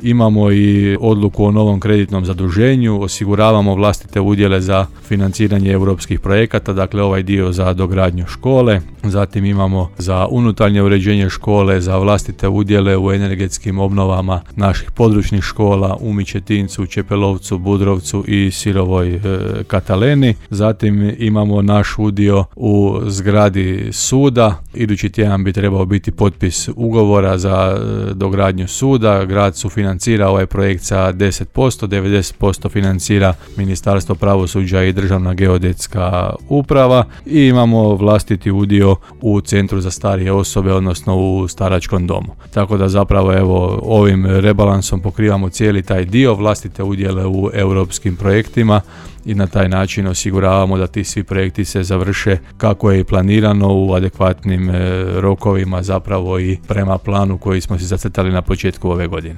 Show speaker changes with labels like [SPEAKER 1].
[SPEAKER 1] Imamo i odluku o novom kreditnom zaduženju, osiguravamo vlastite udjele za financiranje europskih projekata, dakle ovaj dio za dogradnju škole. Zatim imamo za unutarnje uređenje škole, za vlastite udjele u energetskim obnovama naših područnih škola u Mičetincu, Čepelovcu, Budrovcu i Sirovoj Kataleni. Zatim imamo naš udio u zgradi suda. Idući tjedan bi trebao biti potpis ugovora za dogradnju suda. Grad sufinancira ovaj projekt sa 10%, 90% financira Ministarstvo pravosuđa i Državna geodetska uprava i imamo vlastiti udio u Centru za starije osobe, odnosno u staračkom domu. Tako da zapravo evo ovim rebalansom pokrivamo cijeli taj dio, vlastite udjele u europskim projektima i na taj način osiguravamo da ti svi projekti se završe kako je i planirano u adekvatnim rokovima, zapravo i prema planu koji smo si zacrtali na početku ove godine.